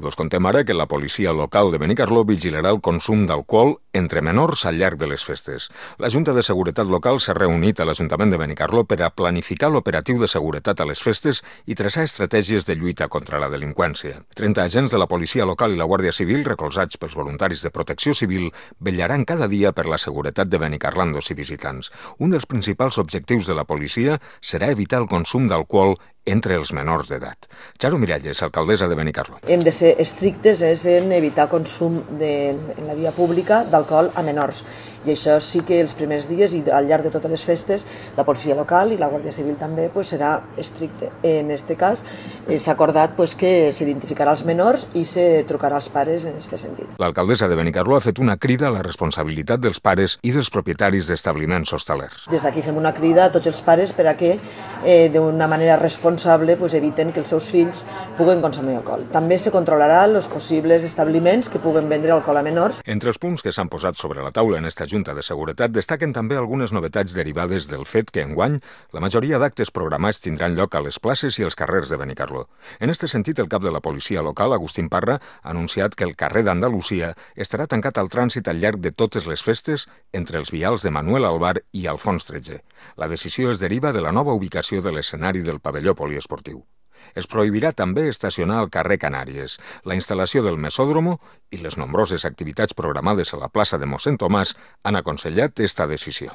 Vos contem ara que la policia local de Benicarló vigilarà el consum d'alcohol entre menors al llarg de les festes. La Junta de Seguretat Local s'ha reunit a l'Ajuntament de Benicarló per a planificar l'operatiu de seguretat a les festes i traçar estratègies de lluita contra la delinqüència. 30 agents de la policia local i la Guàrdia Civil, recolzats pels voluntaris de Protecció Civil, vetllaran cada dia per la seguretat de benicarlandos i visitants. Un dels principals objectius de la policia serà evitar el consum d'alcohol entre els menors d'edat. Charo Miralles, alcaldessa de Benicarló. Hem de ser estrictes en evitar consum en la via pública d'alcohol a menors. I això sí que els primers dies i al llarg de totes les festes la policia local i la Guàrdia Civil també serà estricte. En aquest cas s'ha acordat que s'identificarà els menors i se trucarà als pares en aquest sentit. L'alcaldessa de Benicarló ha fet una crida a la responsabilitat dels pares i dels propietaris d'establiments hostalers. Des d'aquí fem una crida a tots els pares per a que d'una manera responsable eviten que els seus fills puguen consumir alcohol. També se controlarà els possibles establiments que puguen vendre alcohol a menors. Entre els punts que s'han posat sobre la taula en esta Junta de Seguretat destaquen també algunes novetats derivades del fet que enguany la majoria d'actes programats tindran lloc a les places i els carrers de Benicarló. En aquest sentit, el cap de la policia local, Agustín Parra, ha anunciat que el carrer d'Andalusia estarà tancat al trànsit al llarg de totes les festes entre els vials de Manuel Albar i Alfons XIII. La decisió es deriva de la nova ubicació de l'escenari del pavelló poliesportiu. Es prohibirà també estacionar al carrer Canàries. La instal·lació del mesòdromo i les nombroses activitats programades a la plaça de Mossèn Tomàs han aconsellat esta decisió.